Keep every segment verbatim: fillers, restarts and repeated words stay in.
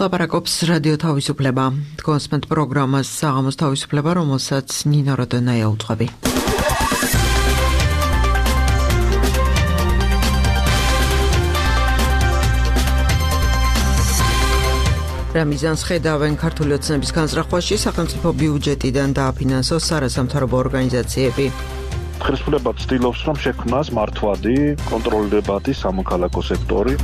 ლაპარაკობს რადიო თავისუფლება. კონსმენტ პროგრამას საღამოს თავისუფლება, რომელსაც ნინო როდონაია უძღვები. რა მიზანს ხედავენ ქართული ოცნების განზრახვაში სახელმწიფო ბიუჯეტიდან დააფინანსოს არასამთავრობო ორგანიზაციები. ხელისუფლება ცდილობს, რომ შექმნას მართვადი, კონტროლირებადი სამოქალაქო სექტორი.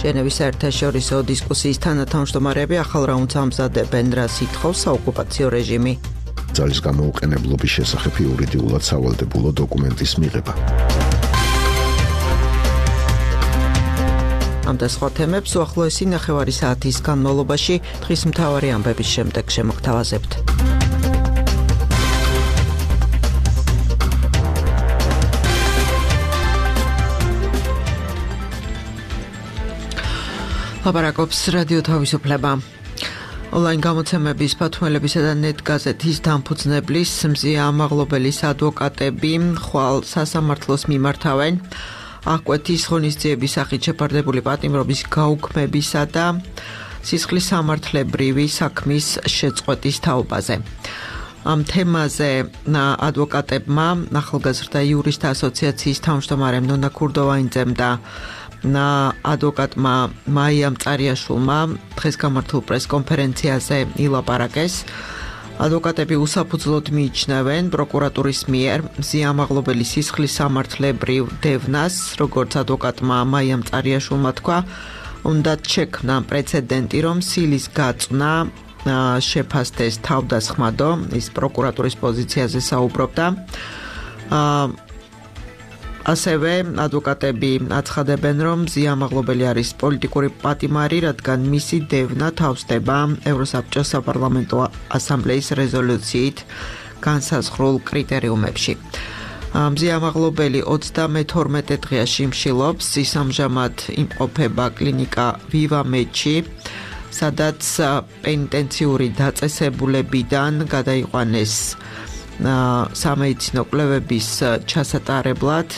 ჟენევის საერთაშორისო დისკუსიის თანათავმჯდომარეები ახალ რაუნდს ამზადებენ, რას ითხოვს საოკუპაციო რეჟიმი. ძალის გამოუყენებლობის შესახებ იურიდიულად სავალდებულო დოკუმენტის მიღება. ამ და სხვა თემებს უახლოესი ნახევარი საათის განმავლობაში დღის მთავარი ამბების შემდეგ შემოგთავაზებთ. ლაპარაკობს რადიო თავისუფლება. ონლაინ გამოცემების ფათმელებისა და ნეტ გაზეთის დამფუძნებლის მზია ამაღლობელის ადვოკატები ხვალ სასამართლოს მიმართავენ აღკვეთის ღონისძიების სახით შეფარდებული პატიმრობის გაუქმებისა და სისხლის სამართლებრივი საქმის შეწყვეტის თაობაზე. ამ თემაზე ადვოკატებმა ახალგაზრდა იურისტთა ასოციაციის თავმჯდომარე ნონა ქურდოვაინძემ და ადვოკატმა მაია მწარიაშვილმა დღეს გამართულ პრესკონფერენციაზე ილაპარაკეს. ადვოკატები უსაფუძვლოდ მიიჩნევენ პროკურატურის მიერ მზია ამაღლობელის სისხლის სამართლებრივ დევნას, როგორც ადვოკატმა მაია მწარიაშვილმა თქვა, უნდა შექმნა პრეცედენტი, რომ სილის გაწვნა შეფასდეს თავდასხმადო, ის პროკურატურის პოზიციაზე საუბრობდა. ასევე ადვოკატები აცხადებენ, რომ მზია ამაღლობელი არის პოლიტიკური პატიმარი, რადგან მისი დევნა თავსდება ევროსაბჭოს საპარლამენტო ასამბლეის რეზოლუციით განსაზღვრულ კრიტერიუმებში. მზია ამაღლობელი ოცდამეთორმეტე დღეა შიმშილობს, ის ამჟამად იმყოფება კლინიკა ვივამედში, სადაც პენიტენციური დაწესებულებიდან გადაიყვანეს სამედიცინო კვლევების ჩასატარებლად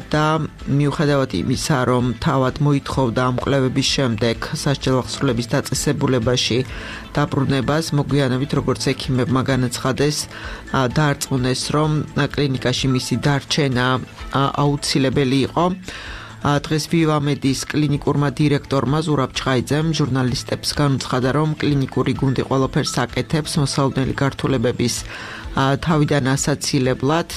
და მიუხედავად იმისა, რომ თავად მოითხოვდა ამ კვლევების შემდეგ სასჯელ აღსრულების დაწესებულებაში დაბრუნებას, მოგვიანებით როგორც ექიმებმა განაცხადეს, დაარწმუნეს, რომ კლინიკაში მისი დარჩენა აუცილებელი იყო. დღეს ვივამედის კლინიკურმა დირექტორმა ზურაბ ჩხაიძემ ჟურნალისტებს განუცხადა, რომ კლინიკური გუნდი ყველაფერს აკეთებს მოსალოდნელი გართულებების თავიდან ასაცილებლად.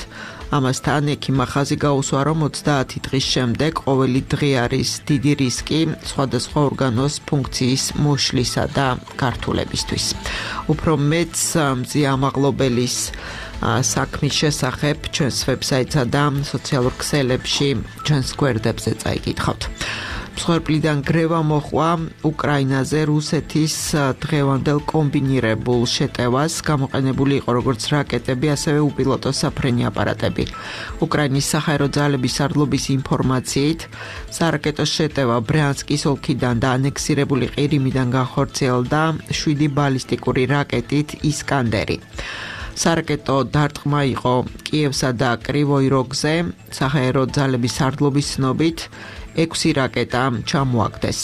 ამასთან ექიმმა ხაზი გაუსვა, რომ ოცდაათი დღის შემდეგ ყოველი დღე არის დიდი რისკი სხვადასხვა ორგანოს ფუნქციის მოშლისა და გართულებისთვის. უფრო მეც მზია ამაღლობელის საქმის შესახებ ჩვენს ვებსაიტსა და სოციალურ ქსელებში ჩვენს გვერდებზე წაიკითხავთ. მსხვერპლიდან გრევა მოჰყვა უკრაინაზე რუსეთის დღევანდელ კომბინირებულ შეტევას, გამოყენებული იყო როგორც რაკეტები, ასევე უპილოტო საფრენი აპარატები. უკრაინის საჰაერო ძალების სარდლობის ინფორმაციით, სარაკეტო შეტევა ბრიანსკის ოლქიდან და ანექსირებული ყირიმიდან განხორციელდა შვიდი ბალისტიკური რაკეტით ისკანდერი. სარაკეტო დარტყმა იყო კიევსა და კრივოი როგზე, საჰაერო ძალების სარდლობის ცნობით ექვსი რაკეტა ჩამოაგდეს.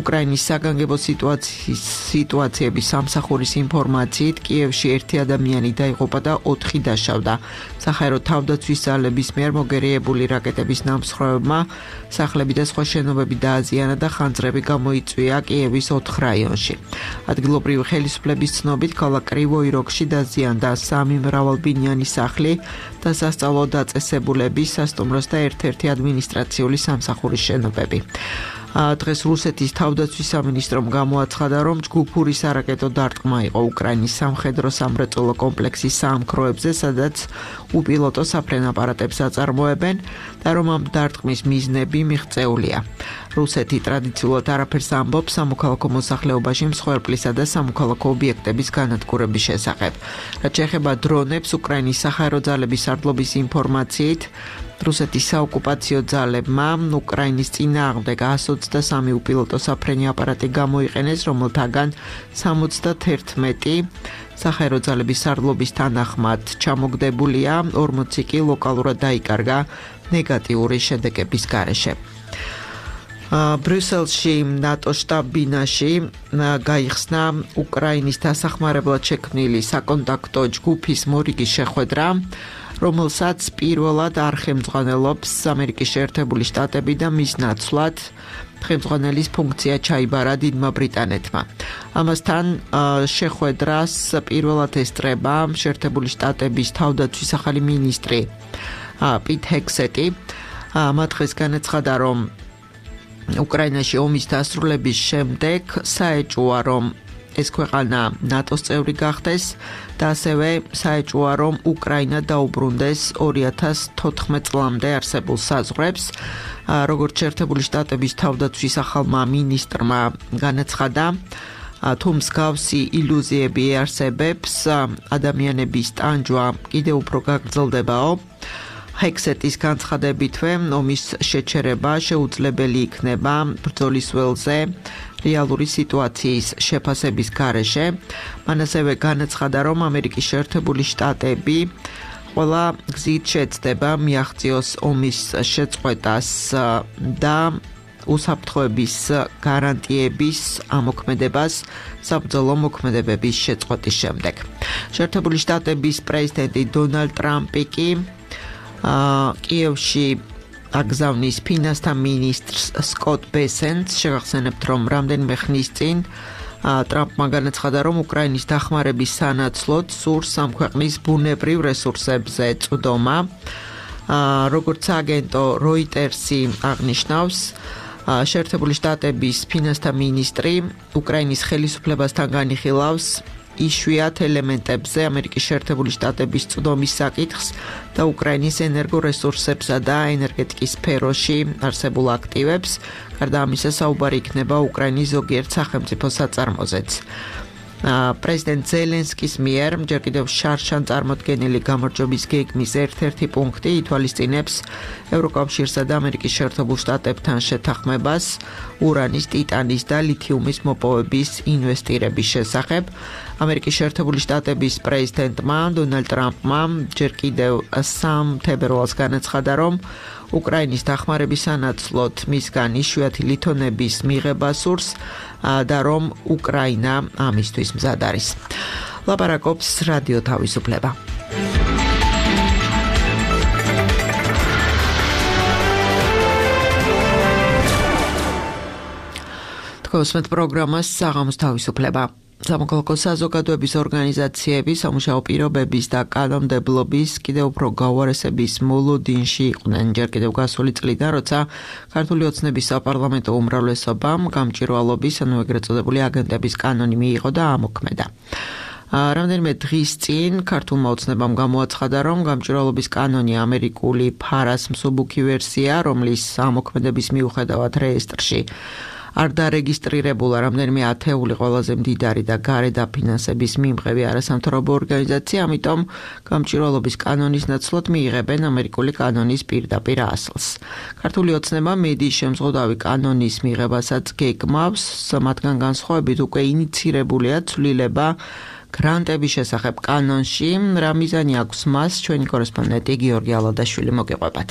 უკრაინის საგანგებო სიტუაციების სამსახურის ინფორმაციით, კიევში ერთი ადამიანი დაიღუპა და ოთხი დაშავდა. საჰაერო თავდაცვის ძალების მიერ მოგერიებული რაკეტების ნამსხვრევებმა სახლები და სხვა შენობები დააზიანა და ხანძრები გამოიწვია კიევის ოთხ რაიონში. ადგილობრივი ხელისუფლების ცნობით, ქალაქ კრივოი როგში დაზიანდა სამი მრავალბინიანი სახლი და სასწავლო დაწესებულების, სასტუმროს და ერთ-ერთი ადმინისტრაციული სამსახურის შენობები. დღეს რუსეთის თავდაცვის სამინისტრომ გამოაცხადა, რომ ჯგუფური სარაკეტო დარტყმა იყო უკრაინის სამხედრო სამრეწველო კომპლექსის საამქროებზე, სადაც უპილოტო საფრენ აპარატებს აწარმოებენ და რომ ამ დარტყმის მიზნები მიღწეულია. რუსეთი ტრადიციულად არაფერს ამბობს სამოქალაქო მოსახლეობაში მსხვერპლისა და სამოქალაქო ობიექტების განადგურების შესახებ. რაც შეეხება დრონებს, უკრაინის საჰაერო ძალების სარდლობის ინფორმაციით, რუსეთის საოკუპაციო ძალებმა უკრაინის წინააღმდეგ εκατს ოცდასამი უპილოტო საფრენი აპარატი გამოიყენეს, რომელთაგან სამოცდაერთმეტი საჰაერო ძალების სარდლობის თანახმად ჩამოგდებულია, ორმოცი კი ლოკალურად დაიკარგა ნეგატიური შედეგების გარეშე. ბრიუსელში ნატოს შტაბ-ბინაში გაიხსნა უკრაინის დასახმარებლად შექმნილი საკონტაქტო ჯგუფის მორიგის შეხვედრა, რომელსაც პირველად არ ხელმძღვანელობს ამერიკის შეერთებული შტატები და მის ნაცვლად ხელმძღვანელის ფუნქცია ჩაიბარა დიდმა ბრიტანეთმა. ამასთან შეხვედრას პირველად ესწრება შეერთებული შტატების თავდაცვის ახალი მინისტრი პიტ ჰექსეტი. მათ დღეს განაცხადა, რომ უკრაინაში ომის დასრულების შემდეგ საეჭვოა, რომ ეს ქვეყანა ნატოს წევრი გახდეს და ასევე საეჭვოა, რომ უკრაინა დაუბრუნდეს ორი ათას თოთხმეტ წლამდე არსებულ საზღვრებს. როგორც შეერთებული შტატების თავდაცვის ახალმა მინისტრმა განაცხადა, თუ მსგავსი ილუზიები არსებობს, ადამიანების ტანჯვა კიდევ უფრო გაგრძელდებაო. ჰექსეტის განცხადებითვე ომის შეჩერება შეუძლებელი იქნება ბრძოლის ველზე რეალური სიტუაციის შეფასების გარეშე. მან ასევე განაცხადა, რომ ამერიკის შეერთებული შტატები ყველა გზით შეცდება მიაღწიოს ომის შეწყვეტას და უსაფრთხოების გარანტიების ამოქმედებას საბრძოლო მოქმედებების შეწყვეტის შემდეგ. შეერთებული შტატების პრეზიდენტი დონალდ ტრამპი კი კიევში აგზავნის ფინანსთა მინისტრს სკოტ ბესენტს. შეგახსენებთ, რომ რამდენიმე ხნის წინ ტრამპმა განაცხადა, რომ უკრაინის დახმარების სანაცვლოდ სურს ამ ქვეყნის ბუნებრივ რესურსებზე წვდომა. როგორც აგენტო როიტერსი აღნიშნავს, შეერთებული შტატების ფინანსთა მინისტრი უკრაინის ხელისუფლებასთან განიხილავს იშვიათ ელემენტებზე ამერიკის შეერთებული შტატების წვდომის საკითხს და უკრაინის ენერგორესურსებსა და ენერგეტიკის სფეროში არსებულ აქტივებს. გარდა ამისა, საუბარი იქნება უკრაინის ზოგიერთ სახელმწიფო საწარმოზეც. პრეზიდენტ ზელენსკის მიერ ჯერ კიდევ შარშან წარმოდგენილი გამარჯვების გეგმის ერთ-ერთი პუნქტი ითვალისწინებს ევროკავშირსა და ამერიკის შეერთებულ შტატებთან შეთანხმებას ურანის, ტიტანის და ლითიუმის მოპოვების ინვესტირების შესახებ. ამერიკის შეერთებული შტატების პრეზიდენტმა დონალდ ტრამპმა ჯერ კიდევ სამ თებერვალს განაცხადა, რომ უკრაინის დახმარების სანაცვლოდ მისგან იშვიათი ლითონების მიღება სურს და რომ უკრაინა ამისთვის მზად არის. ლაპარაკობს რადიო თავისუფლება. თქვენს პროგრამას საღამოს თავისუფლება. სამოქალაქო საზოგადოების ორგანიზაციები სამუშაო პირობების და კანონმდებლობის კიდევ უფრო გაუარესების მოლოდინში იყვნენ ჯერ კიდევ გასული წლიდან, როცა ქართული ოცნების საპარლამენტო უმრავლესობამ გამჭვირვალობის, ანუ ეგრეთ წოდებული აგენტების კანონი მიიღო და ამოქმედა. რამდენიმე დღის წინ ქართულმა ოცნებამ გამოაცხადა, რომ გამჭვირვალობის კანონი ამერიკული ფარას მსუბუქი ვერსია, რომლის ამოქმედების მიუხედავად რეესტრში არ დარეგისტრირებულა რამდენიმე ათეული ყველაზე მდიდარი და გარე დაფინანსების მიმღები არასამთავრობო ორგანიზაცია, ამიტომ გამჭვირვალობის კანონის ნაცვლად მიიღებენ ამერიკული კანონის პირდაპირ ასლს. ქართული ოცნება მედიის შემზღუდავი კანონის მიღებასაც გეგმავს, მათგან განსხვავებით უკვე ინიცირებულია ცვლილება გრანტების შესახებ კანონში. რა მიზანი აქვს მას, ჩვენი კორესპონდენტი გიორგი ალადაშვილი მოგეყვებათ.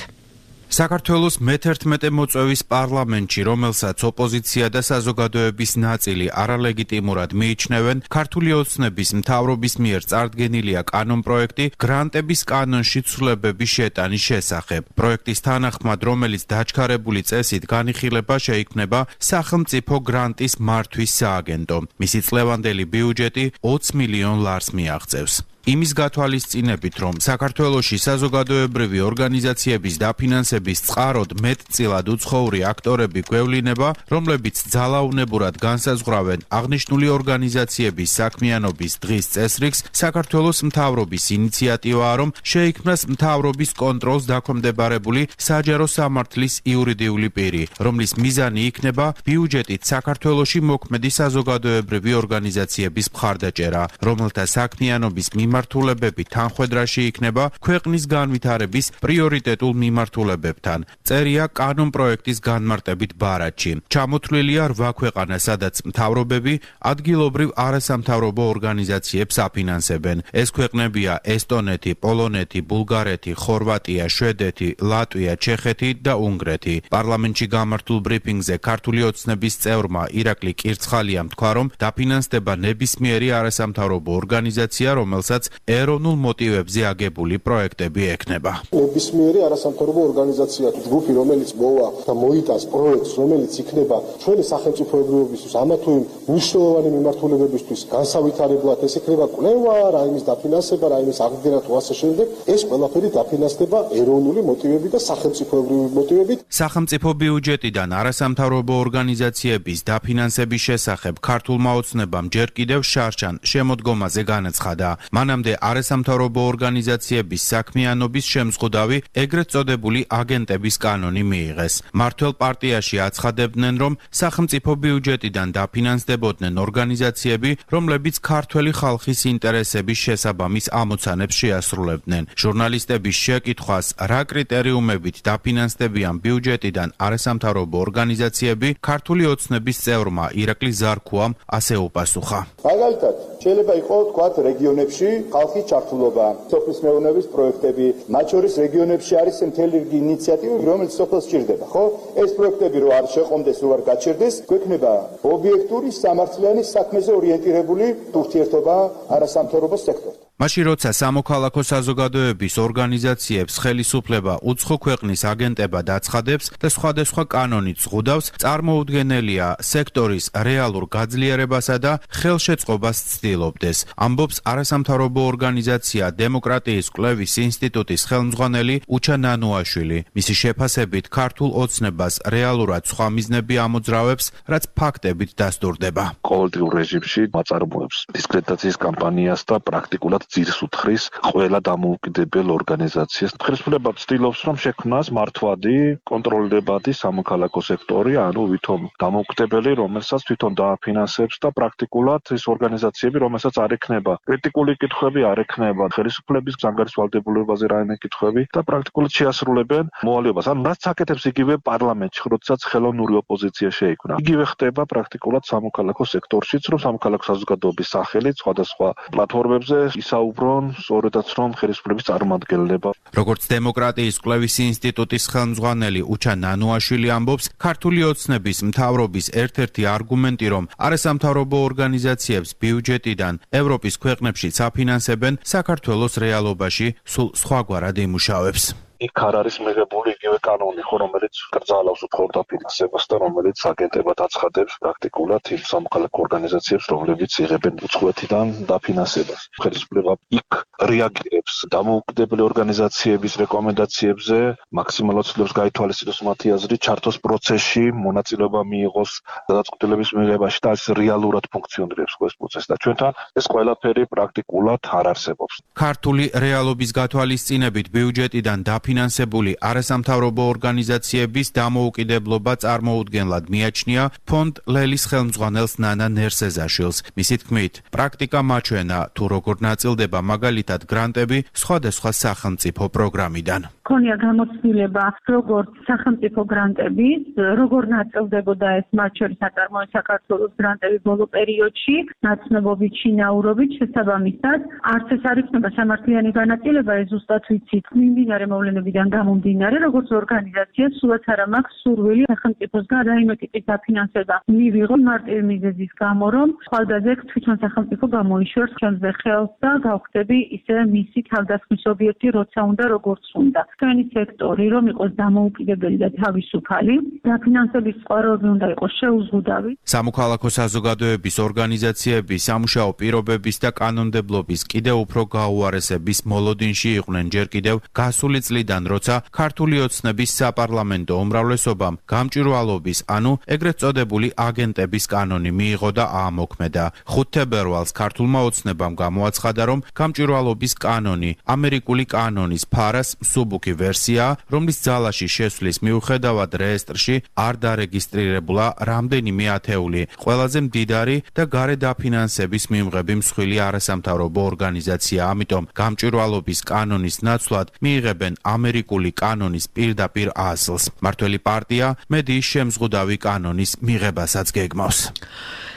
საქართველოს მეთერთმეტე მოწვევის პარლამენტში, რომელსაც ოპოზიცია და საზოგადოების ნაწილი არალეგიტიმურად მიიჩნევენ, ქართული ოცნების მთავრობის მიერ წარდგენილია კანონპროექტი გრანტების კანონში ცვლილებების შეტანის შესახებ. პროექტის თანახმად, რომელიც დაჩქარებული წესით განიხილება შეიქმნება სახელმწიფო გრანტის მართვის სააგენტო. მისი წლევანდელი ბიუჯეტი ოც მილიონ ლარს მიაღწევს. იმის გათვალისწინებით, რომ საქართველოში საზოგადოებრივი ორგანიზაციების დაფინანსების წყაროდ მეტწილად უცხოური აქტორები გვევლინება, რომლებიც ძალაუნებურად განსაზღვრავენ აღნიშნული ორგანიზაციების საქმიანობის დღის წესრიგს, საქართველოს მთავრობის ინიციატივაა, რომ შეიქმნას მთავრობის კონტროლს დაქვემდებარებული საჯარო სამართლის იურიდიული პირი, რომლის მიზანი იქნება ბიუჯეტით საქართველოში მოქმედი საზოგადოებრივი ორგანიზაციების მხარდაჭერა, რომელთა საქმიანობის მიმართულებით მიმართულებები თანხვედრაში იქნება ქვეყნის განვითარების პრიორიტეტულ მიმართულებებთან. წერია კანონპროექტის განმარტებით ბარათში. ჩამოთვლილია რვა ქვეყანა, სადაც მთავრობები ადგილობრივ არასამთავრობო ორგანიზაციებს აფინანსებენ. ეს ქვეყნებია ესტონეთი, პოლონეთი, ბულგარეთი, ხორვატია, შვედეთი, ლატვია, ჩეხეთი და უნგრეთი. პარლამენტში გამართულ ბრიფინგზე ქართული ოცნების წევრმა ირაკლი კირცხალიამ თქვა, რომ დაფინანსდება ნებისმიერი არასამთავრობო ორგანიზაცია, რომელსაც ეროვნულ მოტივებზე აგებული პროექტები ექნება. ნებისმიერი არასამთავრობო ორგანიზაცია თუ ჯგუფი, რომელიც მოვა და მოიტანს პროექტს, რომელიც იქნება ჩვენი სახელმწიფოებრიობისთვის ამა თუ იმ მნიშვნელოვანი მიმართულებებისთვის განსავითარებლად, ეს იქნება კვლევა, რაიმის დაფინანსება, რაიმის აღდგენა თუ ასე შემდეგ, ეს ყველაფერი დაფინანსდება ეროვნული მოტივებით და სახელმწიფოებრივი მოტივებით. სახელმწიფო ბიუჯეტიდან არასამთავრობო ორგანიზაციების დაფინანსების შესახებ ქართულმა ოცნებამ ჯერ კიდევ შარშან შემოდგომაზე განაცხადა. მანამდე არასამთავრობო ორგანიზაციების საქმიანობის შემზღუდავი ეგრეთ წოდებული აგენტების კანონი მიიღეს. მართველ პარტიაში აცხადებდნენ, რომ სახელმწიფო ბიუჯეტიდან დაფინანსდებოდნენ ორგანიზაციები, რომლებიც ქართველი ხალხის ინტერესების შესაბამის ამოცანებს შეასრულებდნენ. ჟურნალისტების შეკითხვას, რა კრიტერიუმებით დაფინანსდებიან ბიუჯეტიდან არასამთავრობო ორგანიზაციები, ქართული ოცნების წევრმა ირაკლი ზარქუამ ასე უპასუხა. მაგალითად, შეიძლება იყოს თქვათ რეგიონებში ხალხის ჩართულობა, სოფლის მეურნეობის პროექტები, მათ შორის რეგიონებში არის მთელი რიგი ინიციატივები, რომელიც სოფელს სჭირდება, ხო? ეს პროექტები რო არ შეყომდეს, რო არ გაჩერდეს, გვექნება ობიექტური სამართლიანი საქმეზე ორიენტირებული ურთიერთობა არასამთავრობო სექტორთან. მაშინ როცა სამოქალაქო საზოგადოების ორგანიზაციებს ხელისუფლება უცხო ქვეყნის აგენტებად აცხადებს და სხვადასხვა კანონით ზღუდავს, წარმოუდგენელია სექტორის რეალურ გაძლიერებასა და ხელშეწყობას ცდილობდეს. ამბობს არასამთავრობო ორგანიზაცია დემოკრატიის კვლევის ინსტიტუტის ხელმძღვანელი უჩა ნანუაშვილი. მისი შეფასებით ქართულ ოცნებას რეალურად სხვა მიზნები ამოძრავებს, რაც ფაქტებით დასტურდება. ყოველდღიურ რეჟიმში მაწარმოებს დისკრედიტაციის კამპანიას და პრაქტიკულად ძირს უთხრის ყველა დამოუკიდებელ ორგანიზაციას. ხელისუფლება ცდილობს, რომ შექმნას მართვადი, კონტროლირებადი სამოქალაქო სექტორი, ანუ ვითომ დამოუკიდებელი, რომელსაც თვითონ დააფინანსებს და პრაქტიკულად ეს ორგანიზაციები, რომელსაც არ ექნება კრიტიკული კითხვები, არ ექნება ხელისუფლების ზანგარის ვალდებულებაზე რაიმე კითხვები და პრაქტიკულად შეასრულებენ მოვალეობას. ანუ რაც აკეთებს იგივე პარლამენტში, როდესაც ხელოვნური ოპოზიცია შეიქმნა. იგივე ხდება პრაქტიკულად სამოქალაქო სექტორშიც, რომ სამოქალაქო საზოგადოების სახელით სხვადასხვა პლატფორმებზე საუბრონ სწორედაც რომ ხელისუფლების წარმომადგენლება. როგორც დემოკრატიის კვლევის ინსტიტუტის ხელმძღვანელი უჩა ნანუაშვილი ამბობს, ქართული ოცნების მთავრობის ერთ-ერთი არგუმენტი, რომ არასამთავრობო ორგანიზაციებს ბიუჯეტიდან ევროპის ქვეყნებშიც აფინანსებენ, საქართველოს რეალობაში სულ სხვაგვარად იმუშავებს. იქ არ არის მიღებული იგივე კანონი, ხო, რომელიც კრძალავს უფრო დაფინანსებას და რომელიც აგენტებად აცხადებს პრაქტიკულად იმ სამოქალაქო ორგანიზაციებს, რომლებიც იღებენ უცხოეთიდან დაფინანსებას. ხელისუფლება იქ რეაგირებს დამოუკიდებელი ორგანიზაციების რეკომენდაციებზე, მაქსიმალურად ცდილობს გაითვალისწინოს მათი აზრი, ჩართოს პროცესში, მონაწილეობა მიიღოს გადაწყვეტილების მიღებაში და ეს რეალურად ფუნქციონირებს ეს პროცესი და ჩვენთან ეს ყველაფერი პრაქტიკულად არ არსებობს. ქართული რეალობის გათვალისწინებით ბიუჯეტიდან დაფინანსებული არასამთავრობო ორგანიზაციების დამოუკიდებლობა წარმოუდგენლად მიაჩნია ფონდ ლელის ხელმძღვანელს ნანა ნერსეზაშვილს. მისი თქმით, პრაქტიკა მაჩვენა თუ როგორ ნაწილდება მაგალითად გრანტები სხვადასხვა სახელმწიფო პროგრამიდან. ქონია გამოცდილება როგორც სახელმწიფო გრანტების, როგორ ნაწილდებოდა ეს მათ შორის აწარმოებს საქართველოს გრანტები ბოლო პერიოდში, ნაცნობობით, შინაურობით, შესაბამისად, არც ეს არ იქნება სამართლიანი განაწილება, ეს ზუსტად ვიცით, მიმდინარე მოვლენებიდან გამომდინარე, როგორც ორგანიზაცია, სულაც არა მაქვს სურვილი სახელმწიფოსგან რაიმე ტიპის დაფინანსება მივიღო მარტივი მიზეზის გამო, რომ ხვალდაზე თვითონ სახელმწიფო გამოიშვერს ჩვენზე ხელს და გავხდები ისე მისი თავდასხმის ობიექტი, როცა უნდა, როგორც უნდა. ჩვენი სექტორი რომ იყოს დამოუკიდებელი და თავისუფალი, დაფინანსების წყაროები უნდა იყოს შეუზღუდავი. სამოქალაქო საზოგადოების ორგანიზაციების სამუშაო პირობების და კანონმდებლობის კიდევ უფრო გაუარესების მოლოდინში იყვნენ ჯერ კიდევ გასული წლიდან, როცა ქართული ოცნების საპარლამენტო უმრავლესობამ გამჭვირვალობის, ანუ ეგრეთ წოდებული აგენტების კანონი მიიღო და აამოქმედა. ხუთ თებერვალს ქართულმა ოცნებამ გამოაცხადა, რომ გამჭვირვალობის კანონი ამერიკული კანონის ფარას მსუბუქ შემდგომი ვერსია, რომლის ძალაში შესვლის მიუხედავად რეესტრში არ დარეგისტრირებულა რამდენიმე ათეული ყველაზე მდიდარი და გარე დაფინანსების მიმღები მსხვილი არასამთავრობო ორგანიზაცია, ამიტომ გამჭვირვალობის კანონის ნაცვლად მიიღებენ ამერიკული კანონის პირდაპირ ასლს. მართველი პარტია მედიის შემზღუდავი კანონის მიღებასაც გეგმავს.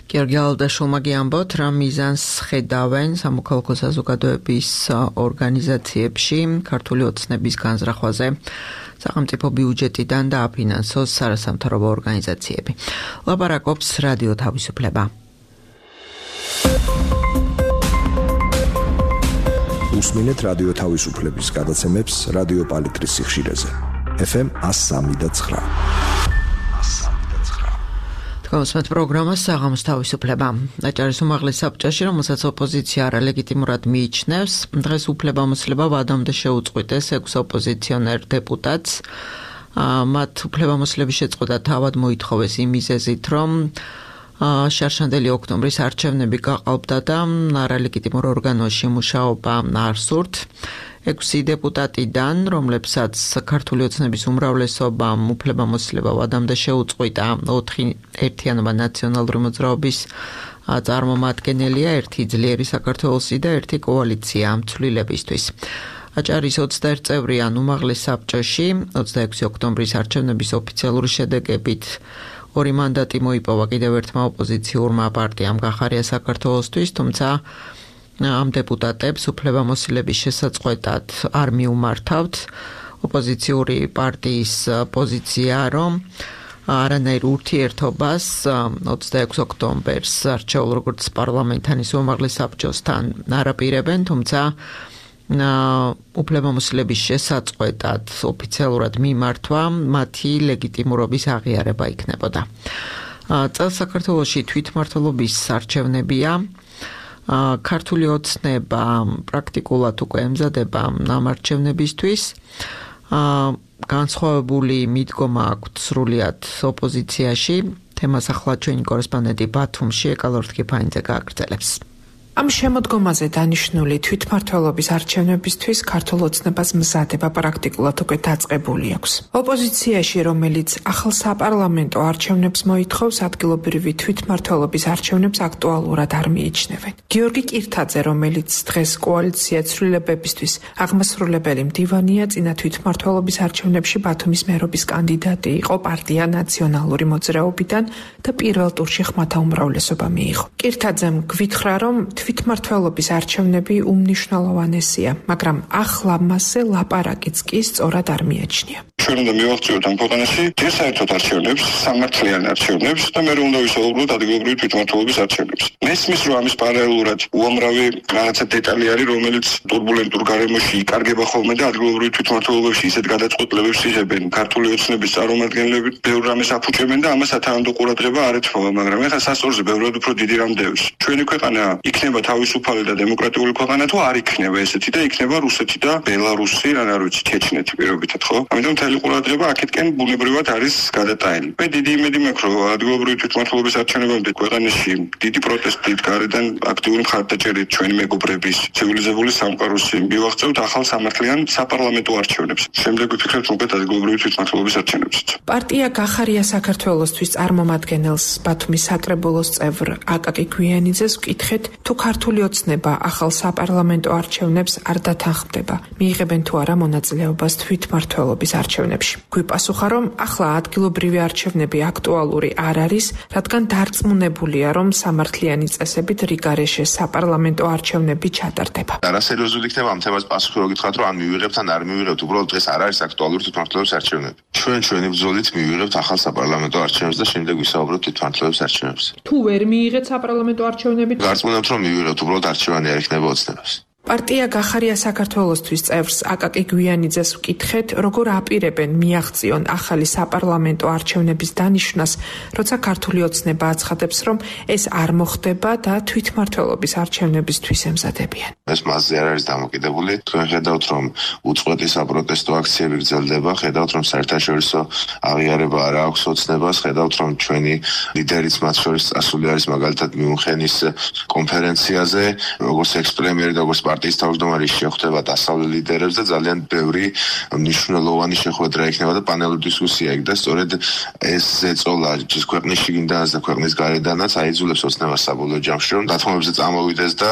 გიორგი ალდაშულმა გიამბოთ, რა მიზანს ხედავენ სამოქალაქო საზოგადოების ორგანიზაციებში ქართული ოცნების განზრახვაზე სახელმწიფო ბიუჯეტიდან დააფინანსოს არასამთავრობო ორგანიზაციები. ლაპარაკობს რადიო თავისუფლება. უსმინეთ რადიო თავისუფლების გადაცემებს რადიო პალიტრის სიხშირეზე. ეფ ემ one oh three point nine. თქვენს პროგრამას საღამოს თავისუფლება. აჭარის უმაღლეს საბჭოში, რომელსაც ოპოზიცია არალეგიტიმურად მიიჩნევს, დღეს უფლებამოსილება ვადამდე შეუწყვიტეს ექვს ოპოზიციონერ დეპუტატს. მათ უფლებამოსილების შეწყვეტა თავად მოითხოვეს იმ მიზეზით, რომ შარშანდელი ოქტომბრის არჩევნები გაყალბდა და არალეგიტიმურ ორგანოში მუშაობა არ სურთ. ექვსი დეპუტატიდან, რომლებსაც ქართული ოცნების უმრავლესობამ უფლებამოსილება ვადამდე შეუწყვიტა, ოთხი ერთიანობა ნაციონალური მოძრაობის წარმომადგენელია, ერთი ძლიერი საქართველოსი და ერთი კოალიცია ცვლილებისთვის. აჭარის ოცდაერთი წევრიან უმაღლეს საბჭოში ოცდაექვსი ოქტომბრის არჩევნების ოფიციალური შედეგებით ორი მანდატი მოიპოვა კიდევ ერთმა ოპოზიციურმა პარტიამ გახარია საქართველოსთვის, თუმცა ამ დეპუტატებს უფლებამოსილების შესაწყვეტად არ მიუმართავთ. ოპოზიციური პარტიის პოზიცია, რომ არანაირ ურთიერთობას ოცდაექვსი ოქტომბერს არჩეულ როგორც პარლამენტთან ისე უმაღლეს საბჭოსთან არ აპირებენ, თუმცა უფლებამოსილების შესაწყვეტად ოფიციალურად მიმართვა მათი ლეგიტიმურობის აღიარება იქნებოდა. წელს საქართველოში თვითმმართველობის არჩევნებია. ქართული ოცნება პრაქტიკულად უკვე ემზადება ამ არჩევნებისთვის. განსხვავებული მიდგომა აქვთ სრულიად ოპოზიციაში. თემას ახლა ჩვენი კორესპონდენტი ბათუმში ეკალორთ კიფაინძე გააგრძელებს. ამ შემოდგომაზე დანიშნული თვითმმართველობის არჩევნებისთვის ქართულ ოცნებას მზადება პრაქტიკულად უკვე დაწყებული აქვს. ოპოზიციაში, რომელიც ახალ საპარლამენტო არჩევნებს მოითხოვს, ადგილობრივი თვითმმართველობის არჩევნებს აქტუალურად არ მიიჩნევენ. გიორგი კირთაძე, რომელიც დღეს კოალიცია ცვლილებებისთვის აღმასრულებელი მდივანია, წინა თვითმმართველობის არჩევნებში ბათუმის მერობის კანდიდატი იყო პარტია ნაციონალური მოძრაობიდან და პირველ ტურში ხმათა უმრავლესობა მიიღო. კირთაძემ გვითხრა, რომ თვითმმართველობის არჩევნები უმნიშვნელოვანესია, მაგრამ ახლა მასზე ლაპარაკიც კი სწორად არ მიაჩნია. ჩვენ უნდა მივაღწიოთ ამ ქვეყანაში ჯერ საერთოდ არჩევნებს, სამართლიან არჩევნებს და მე უნდა ვისაუბროთ ადგილობრივი თვითმმართველობის არჩევნებს. მესმის, რომ ამის პარალელურად უამრავი რაღაცა დეტალი არის, რომელიც ტურბულენტურ გარემოში იკარგება ხოლმე და ადგილობრივი თვითმმართველობებში ისეთ გადაწყვეტილებებს იღებენ ქართული ოცნების წარმომადგენლები, ბევრ რამეს აფუჭებენ და ამას სათანადო ყურადღება არ ეთმობა, მაგრამ ეხლა სასწორზე ბევრად უფრო დიდი რამ დევს. ჩვენი ქვეყანა იქნება თავისუფალი და დემოკრატიული ქვეყანა თუ არ იქნება ესეთი და იქნება რუსეთი და ბელარუსი, რა არ ვიცი, ჩეჩნეთი პირობითად, ხო? ამიტომ მთელი ყურადღება აქეთკენ ბუნებრივად არის გადატანილი. მე დიდი იმედი მაქვს, რომ ადგილობრივი თვითმმართველობის არჩევნებამდე ქვეყანაში დიდი პროტესტით, გარედან აქტიური მხარდაჭერით ჩვენი მეგობრების ცივილიზებული სამყაროს მივაღწევთ ახალ სამართლიან საპარლამენტო არჩევნებს. შემდეგ ვიფიქრებთ უკეთ ადგილობრივი თვითმმართველობის არჩევნებსაც. პარტია გახარია საქართველოსთვის წარმომადგენელს ბათუმის საკრებულოს წევრ აკაკი გვიანიძეს ვკითხეთ, თუ ქართული ოცნება ახალ საპარლამენტო არჩევნებს არ დათანხმდება, მიიღებენ თუ არა მონაწილეობას თვითმმართველობის არჩევნებში. გვიპასუხა, რომ ახლა ადგილობრივი არჩევნები აქტუალური არ არის, რადგან დარწმუნებულია, რომ სამართლიანი წესებით რიგარეშე საპარლამენტო არჩევნები ჩატარდება. არასერიოზული იქნება ამ თემას პასუხი რო გითხრათ, რომ ან მივიღებთ ან არ მივიღებთ, უბრალოდ დღეს არ არის აქტუალური თვითმმართველობის არჩევნები. ჩვენ ჩვენი ბრძოლით მივიღებთ ახალ საპარლამენტო არჩევნებს და შემდეგ ვისაუბრებთ თვითმმართველობის არჩევნებზე. თუ ვერ მიიღეთ საპარლამენტო არჩევნები, გარწმუნებთ, რომ მივიღებთ, უბრალოდ არჩევანი არ იქნება ოცნებას. პარტია გახარია საქართველოსთვის წევრს აკაკი გვიანიძეს ვკითხეთ, როგორ აპირებენ მიაღწიონ ახალი საპარლამენტო არჩევნების დანიშვნას, როცა ქართული ოცნება აცხადებს, რომ ეს არ მოხდება და თვითმმართველობის არჩევნებისთვის ემზადებიან. ეს მასზე არ არის დამოკიდებული. თქვენ ხედავთ, რომ უწყვეტი საპროტესტო აქციები გრძელდება, ხედავთ, რომ საერთაშორისო აღიარება არ აქვს ოცნებას, ხედავთ, რომ ჩვენი ლიდერიც მათ შორის წასული არის მაგალითად მიუნხენის კონფერენციაზე, როგორც ექს-პრემიერი და როგორც პარტიის თავმჯდომარის შეხვდება დასავლელ ლიდერებს და ძალიან ბევრი მნიშვნელოვანი შეხვედრა იქნება და პანელური დისკუსია იქ და სწორედ ეს ზეწოლა ის ქვეყნის შიგნიდანაც და ქვეყნის გარედანაც აიძულებს ოცნებას საბოლოო ჯამში რომ დათმობებზე წამოვიდეს და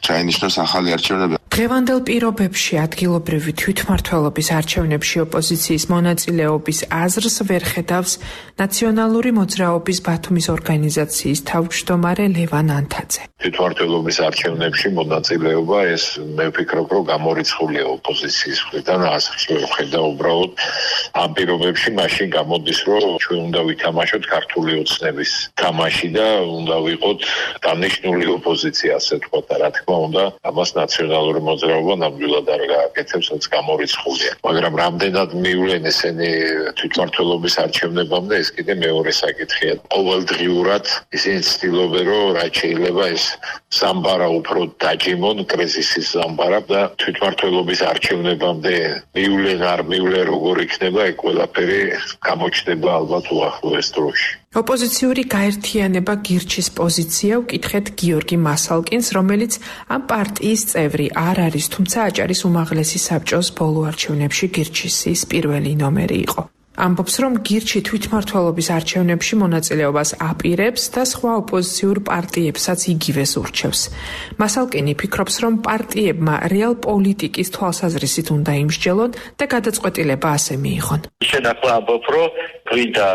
ჩაინიშნოს ახალი არჩევნები. დღევანდელ პირობებში ადგილობრივი თვითმმართველობის არჩევნებში ოპოზიციის მონაწილეობის აზრს ვერ ხედავს ნაციონალური მოძრაობის ბათუმის ორგანიზაციის თავმჯდომარე ლევან ანთაძე. თვითმმართველობის არჩევნებში მონაწილეობა ეს მე ვფიქრობ რომ გამორიცხულია ოპოზიციის მხრიდან აზრს ვერ ხედა უბრალოდ ამ პირობებში მაშინ გამოდის რომ ჩვენ უნდა ვითამაშოთ ქართული ოცნების თამაში და უნდა ვიყოთ დანიშნული ოპოზიცია ასე ვთქვათ და რა თქმა უნდა ამას ნაციონალური მოძრაობა ნამდვილად არ გააკეთებს, რაც გამორიცხულია. მაგრამ რამდენად მივლენ ესენი თვითმმართველობის არჩევნებამდე, ეს კიდე მეორე საკითხია. ყოველდღიურად ისინი ცდილობენ, რომ რაც შეიძლება ეს სამბარა უფრო დაჯიმონ, კრიზისის სამბარა და თვითმმართველობის არჩევნებამდე მივლენ, არ მივლენ, როგორ იქნება, ეგ ყველაფერი გამოჩნდება ალბათ უახლოეს დროში. ოპოზიციური გაერთიანება გირჩის პოზიცია უკითხეთ გიორგი მასალკინს, რომელიც ამ პარტიის წევრი არ არის, თუმცა აჭარის უმაღლესი საბჭოს ბოლო არჩევნებში გირჩის პირველი ნომერი იყო. ამბობს, რომ გირჩი თვითმმართველობის არჩევნებში მონაწილეობას აპირებს და სხვა ოპოზიციურ პარტიებსაც იგივეს ურჩევს. მასალკინი ფიქრობს, რომ პარტიებმა რეალ პოლიტიკის თვალსაზრისით უნდა იმსჯელონ და გადაწყვეტილება ასე მიიღონ. შენ ახლა ამბობ, რომ გვინდა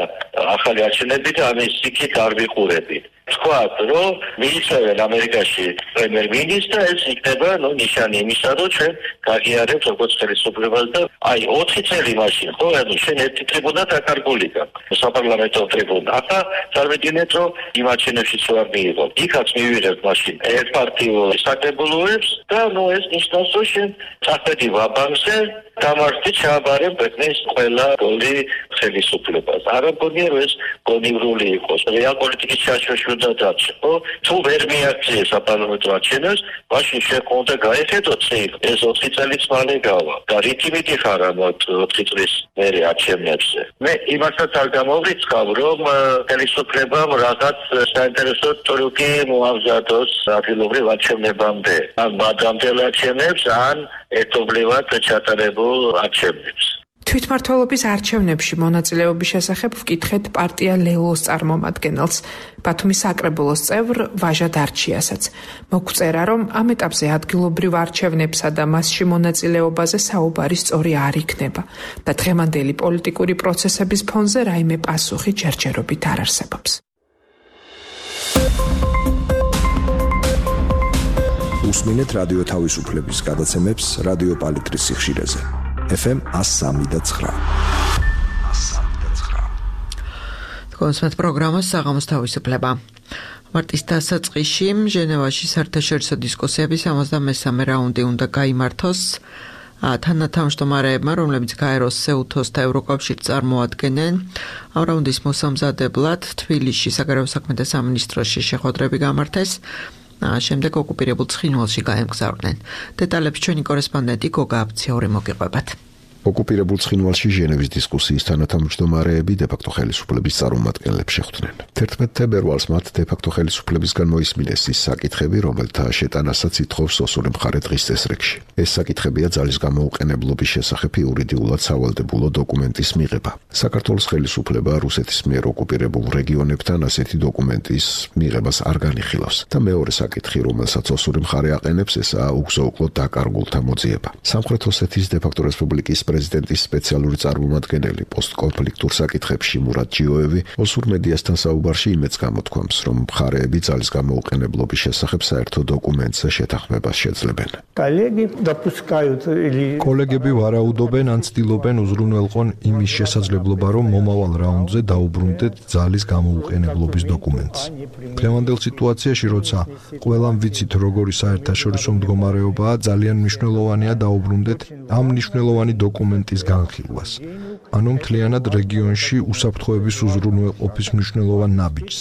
ახალი არჩევნები და ამის იქით არ ვიყურები. თქვათ, რომ მიიწევენ ამერიკაში პრემიერ-მინისტრს და ეს იქნება ნუ ნიშანი იმისა, რომ ჩვენ გაგიარებთ როგორც ხელისუფლებას და აი ოთხი წელი მაშინ, ხო, ანუ შენ ერთი ტრიბუნა დაკარგული გაქვს, საპარლამენტო ტრიბუნა. ახლა წარმოვიდგინეთ, რომ იმ არჩევნებშიც ვარ მიიღო. იქაც მივიღებ მაშინ ერთპარტიულ საკრებულოებს და ნუ ეს ნიშნავს, რომ შენ წახვედი ვაბანკზე დამარცხდი ჩააბარებ ქვეყნის ყველა გოლი ხელისუფლებას. არ მგონია რომ ეს გონივრული იყოს. რეალ პოლიტიკის ჩაშოშვა და დაცი, ხო? თუ ვერ მიაქციე საპარლამენტო არჩევნებს, მაშინ შექონდა გაეხედო წინ ეს ოთხი წელიც მალე გავა. და რითი მიდიხარ ამ ოთხი წლის მერე არჩევნებზე. მე იმასაც არ გამოვრიცხავ, რომ ხელისუფლებამ რაღაც საინტერესო ტრიუკი მოამზადოს ადგილობრივ არჩევნებამდე. ან მადამდელ არჩევნებს, ან ერთობლივად ჩატარებულ არჩევნებს. თვითმმართველობის არჩევნებში მონაწილეობის შესახებ ვკითხეთ პარტია ლელოს წარმომადგენელს, ბათუმის საკრებულოს წევრ ვაჟა დარჩიასაც. მოგვწერა, რომ ამ ეტაპზე ადგილობრივ არჩევნებსა და მასში მონაწილეობაზე საუბარი სწორი არ იქნება და დღევანდელი პოლიტიკური პროცესების ფონზე რაიმე პასუხი ჯერჯერობით არ არსებობს. უსმინეთ რადიო თავისუფლების გადაცემებს რადიო პალიტრის სიხშირეზე. ეფ ემ one oh three point nine. კონსერტ პროგრამას საღამოს თავისუფლება. მარტის დასაწყისში ჟენევაში საერთაშორისო დისკუსიების სამოცდამესამე რაუნდი უნდა გაიმართოს. თანათავმჯდომარეებმა, რომლებიც გაეროს, სეუთოს და ევროკავშირს წარმოადგენენ, ამ რაუნდის მოსამზადებლად თბილისში საგარეო საქმეთა სამინისტროში შეხვედრები გამართეს. შემდეგ ოკუპირებულ ცხინვალში გაემგზავრნენ. დეტალებს ჩვენი კორესპონდენტი გოგა აბციური მოგიყვებათ. ოკუპირებულ ცხინვალში ჟენევის დისკუსიის თანათავმჯდომარეები დე-ფაქტო ხელისუფლების წარმომადგენლებს შეხვდნენ. თერთმეტ თებერვალს მათ დე-ფაქტო ხელისუფლებისგან მოისმინეს ის საკითხები, რომელთა შეტანასაც ითხოვს ოსური მხარე დღის წესრიგში. ეს საკითხებია ძალის გამოუყენებლობის შესახებ იურიდიულად სავალდებულო დოკუმენტის მიღება. საქართველოს ხელისუფლება რუსეთის მიერ ოკუპირებულ რეგიონებთან ასეთი დოკუმენტის მიღებას არ განიხილავს და მეორე საკითხი, რომელსაც ოსური მხარე აყენებს, ესაა უგზო-უკლო დაკარგულთა მოძიება. სამხრეთ ოსეთის დე-ფაქტო რესპუბლიკის პრეზიდენტის სპეციალური წარმომადგენელი პოსტკონფლიქტურ საკითხებში მურატ ჯიოევი ოსურ მედიასთან საუბარში იმედს გამოთქვამს, რომ მხარეები ძალის გამოუყენებლობის შესახებ საერთო დოკუმენტზე შეთანხმებას შეძლებენ. კოლეგები ვარაუდობენ ან ცდილობენ უზრუნველყონ იმის შესაძლებლობა, რომ მომავალ რაუნდზე დაუბრუნდეთ ძალის გამოუყენებლობის დოკუმენტს. დღევანდელ სიტუაციაში, როცა ყველამ ვიცით, როგორი საერთაშორისო მდგომარეობაა, ძალიან მნიშვნელოვანია დაუბრუნდეთ ამ მნიშვნელოვანი დოკუმენტის განხილვას. ანუ მთლიანად რეგიონში უსაფრთხოების უზრუნველყოფის მნიშვნელოვან ნაბიჯს.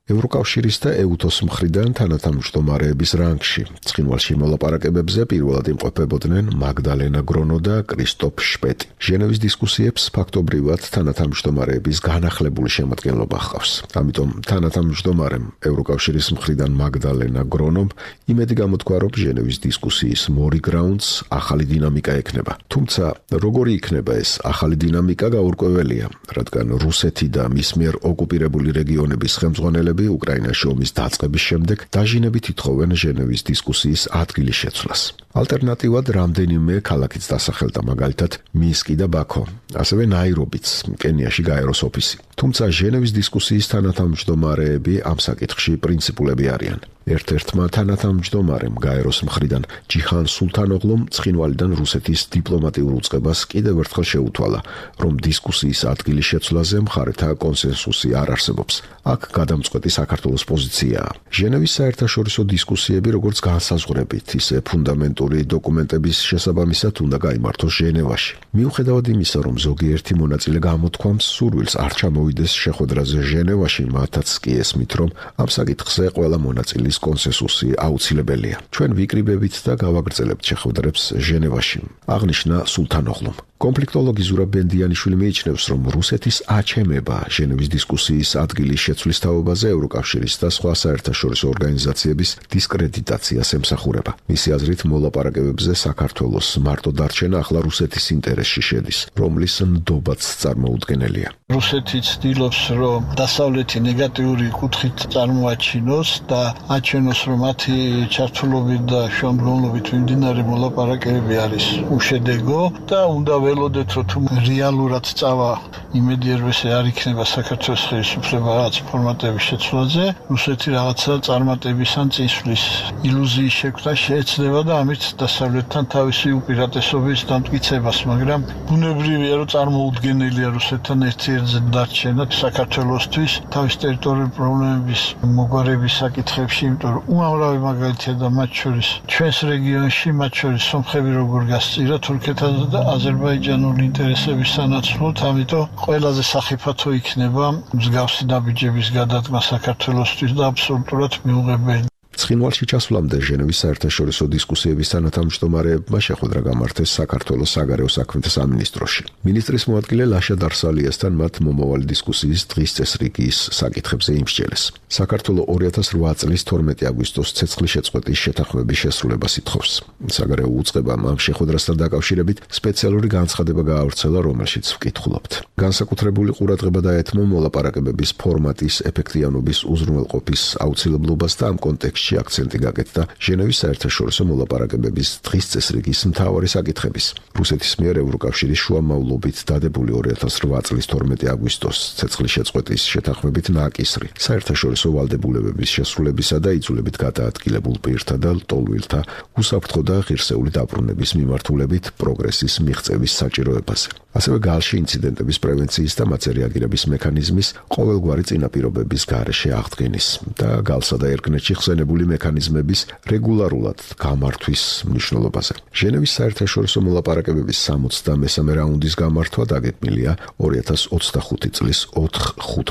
ევროკავშირის და ეუთოს მხრიდან თანათავმჯდომარეების რანგში. ცხინვალში მოლაპარაკებებზე პირველად იმყოფებოდნენ მაგდალენა გრონო და კრისტოფ შპეტი. ჟენევის დისკუსიებს ფაქტობრივად თანათავმჯდომარეების განახლებული შემადგენლობა ჰყავს. ამიტომ თანათავმჯდომარემ ევროკავშირის მხრიდან მაგდალენა გრონომ იმედი გამოთქვა, რომ ჟენევის დისკუსიის მორი გრაუნდს ახალი დინამიკა ექნება. თუმცა როგორი იქნება ეს ახალი დინამიკა გაურკვეველია, რადგან რუსეთი და მის მიერ ოკუპირებული რეგიონების ხელმძღვანელები უკრაინაში ომის დაწყების შემდეგ დაჟინებით ითხოვენ ჟენევის დისკუსიის ადგილის შეცვლას. ალტერნატივად რამდენიმე ქალაქიც დასახელდა, მაგალითად მინსკი და ბაქო, ასევე ნაირობიც, კენიაში გაეროს ოფისი. თუმცა ჟენევის დისკუსიის თანათავმჯდომარეები ამ საკითხში პრინციპულები არიან. ერთ-ერთმა თანათავმჯდომარემ გაეროს მხრიდან ჯიჰან სულთანოღლუმ ცხინვალიდან რუსეთის დიპლომატიურ უწყებას კიდევ ერთხელ შეუთვალა, რომ დისკუსიის ადგილის შეცვლაზე მხარეთა კონსენსუსი არ არსებობს. აქ გადამწყვეტი საქართველოს პოზიციაა. ჟენევის საერთაშორისო დისკუსიები, როგორც განსაზღვრებით, ისე ფუნდამენტური დოკუმენტების შესაბამისად უნდა გაიმართოს ჟენევაში. მიუხედავად იმისა, რომ ზოგიერთი მონაწილე გამოთქვამს სურვილს არ ჩამოვიდეს შეხვედრაზე ჟენევაში, მათაც კი ესმით, რომ ამ საკითხზე ყველა მონაწილის კონსენსუსი აუცილებელია. ჩვენ ვიკრიბებით და გავაგრძელებთ შეხვედრებს ჟენევაში, აღნიშნა სულთანოღლუმ. კონფლიქტოლოგი ზურაბ ბენდიანიშვილი მიიჩნევს, რომ რუსეთის აჩემება ჟენევის დისკუსიის ადგილის შეცვლის თაობაზე ევროკავშირის და სხვა საერთაშორისო ორგანიზაციების დისკრედიტაციას ემსახურება. მისი აზრით, მოლაპარაკებებზე საქართველოს მარტო დარჩენა ახლა რუსეთის ინტერესში შედის, რომლის ნდობაც წარმოუდგენელია. რუსეთი ცდილობს, რომ დასავლეთი ნეგატიური კუთხით წარმოაჩინოს და აჩვენოს, რომ მათი ჩართულობით და შუამდგომლობით მიმდინარე მოლაპარაკებები არის უშედეგო და უნდა ველოდეთ, რომ თუ რეალურად წავა იმედი ერვესე არ იქნება საქართველოს ხელისუფლება რაღაც ფორმატების შეცვლაზე, რუსეთი რაღაცა წარმატების ან წინსვლის ილუზიის შექმნა შეეცდება და ამით დასავლეთთან თავისი უპირატესობის დამტკიცებას, მაგრამ ბუნებრივია, რომ წარმოუდგენელია რუსეთთან ერთიერთზე დარჩენა საქართველოსთვის თავის ტერიტორიული პრობლემების მოგვარების საკითხებში, იმიტომ რომ უამრავი მაგალითია და მათ შორის ჩვენს რეგიონში, მათ შორის სომხები როგორ გასწირა თურქეთთან და აზერბაიჯანული ინტერესების სანაცვლოდ, ამიტომ ყველაზე სახიფათო იქნება მსგავსი ნაბიჯების გადადგმა საქართველოსთვის და აბსოლუტურად მიუღებელი. ცხინვალში ჩასვლამდე ჟენევის საერთაშორისო დისკუსიების თანათავმჯდომარეებმა შეხვედრა გამართეს საქართველოს საგარეო საქმეთა სამინისტროში. მინისტრის მოადგილე ლაშა დარსალიასთან მათ მომავალი დისკუსიის დღის წესრიგის საკითხებზე იმსჯელეს. საქართველო ორი ათას რვა წლის თორმეტი აგვისტოს ცეცხლის შეწყვეტის შეთანხმების შესრულებას ითხოვს. საგარეო უწყებამ ამ შეხვედრასთან დაკავშირებით სპეციალური განცხადება გაავრცელა, რომელშიც ვკითხულობთ. განსაკუთრებული ყურადღება დაეთმო მოლაპარაკებების ფორმატის ეფექტიანობის უზრუნველყოფის აუცილებლობას და ამ კონტექსტში აქცენტი გაკეთდა ჟენევის საერთაშორისო მოლაპარაკებების დღის წესრიგის მთავარი საკითხების. რუსეთის მიერ ევროკავშირის შუამავლობით დადებული ორი ათას რვა წლის თორმეტი აგვისტოს ცეცხლის შეწყვეტის შეთანხმებით ნაკისრი, საერთაშორისო ვალდებულებების შესრულებისა და იძულებით გადაადგილებულ პირთა და ლტოლვილთა უსაფრთხო და ღირსეული დაბრუნების მიმართულებით პროგრესის მიღწევის საჭიროებაზე. ასევე გალში ინციდენტების პრევენციის და მათზე რეაგირების მექანიზმის ყოველგვარი წინაპირობების გარეშე აღდგენის და გალსა და ერგნეთში ხსენებული მექანიზმების რეგულარულად გამართვის მნიშვნელობაზე. ჟენევის საერთაშორისო მოლაპარაკებების სამოცდამესამე რაუნდის გამართვა დაგეგმილია ორი ათას ოცდახუთი წლის ოთხ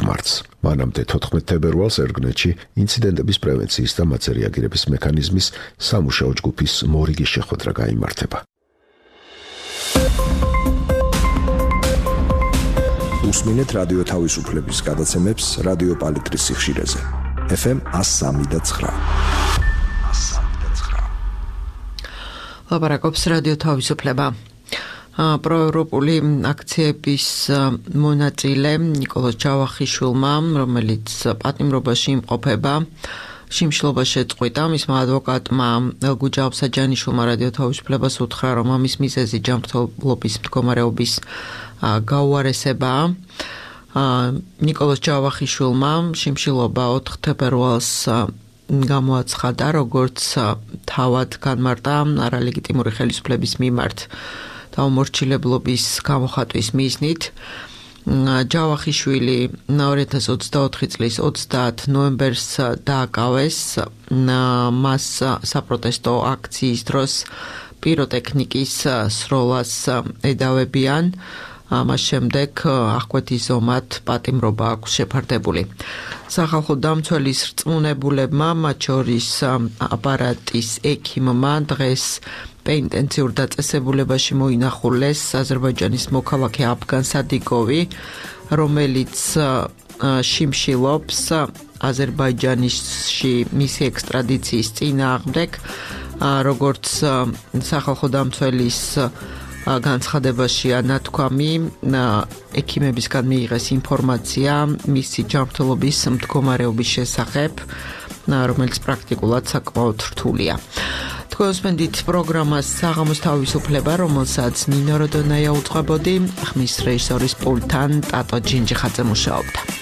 მარტს. მანამდე თოთხმეტ თებერვალს ერგნეთში ინციდენტების პრევენციის და მათზე რეაგირების მექანიზმის სამუშაო ჯგუფის მორიგი შეხვედრა გაიმართება. უსმინეთ რადიო თავისუფლების გადაცემებს რადიო პალიტრის სიხშირეზე. ეფ ემ one oh three და nine. ლაპარაკობს რადიო თავისუფლება. პროევროპული აქციების მონაწილე ნიკოლოზ ჯავახიშვილმა, რომელიც პატიმრობაში იმყოფება, შიმშილობა შეწყვიტა. მისმა ადვოკატმა ელგუჯა აბსაჯანიშვილმა რადიო თავისუფლებას უთხრა, რომ ამის მიზეზი ჯანმრთელობის მდგომარეობის გაუარესებაა. ნიკოლოზ ჯავახიშვილმა შიმშილობა ოთხ თებერვალს გამოაცხადა, როგორც თავად განმარტა არალეგიტიმური ხელისუფლების მიმართ დაუმორჩილებლობის გამოხატვის მიზნით. ჯავახიშვილი ორი ათას ოცდაოთხი წლის ოცდაათ ნოემბერს დააკავეს. მას საპროტესტო აქციის დროს პიროტექნიკის სროლას ედავებიან. ამას შემდეგ აღკვეთის ზომად პატიმრობა აქვს შეფარდებული. სახალხო დამცველის რწმუნებულებმა, მათ შორის აპარატის ექიმმა დღეს პეინტენციურ დაწესებულებაში მოინახულეს აზერბაიჯანის მოქალაქე აფგან სადიკოვი, რომელიც შიმშილობს აზერბაიჯანში მისი ექსტრადიციის წინააღმდეგ, როგორც სახალხო დამცველის განცხადებაში ანათქვამი, ექიმებისგან მიიღეს ინფორმაცია მისი ჯანმრთელობის მდგომარეობის შესახებ, რომელიც პრაქტიკულად საკმაოდ რთულია. თქვენ უსმენთ პროგრამას საღამოს თავისუფლება, რომელსაც ნინო როდონაია უწყებოდი, ხმის რეჟისორის პულტთან ტატო ჯინჯიხაძე მუშაობდა.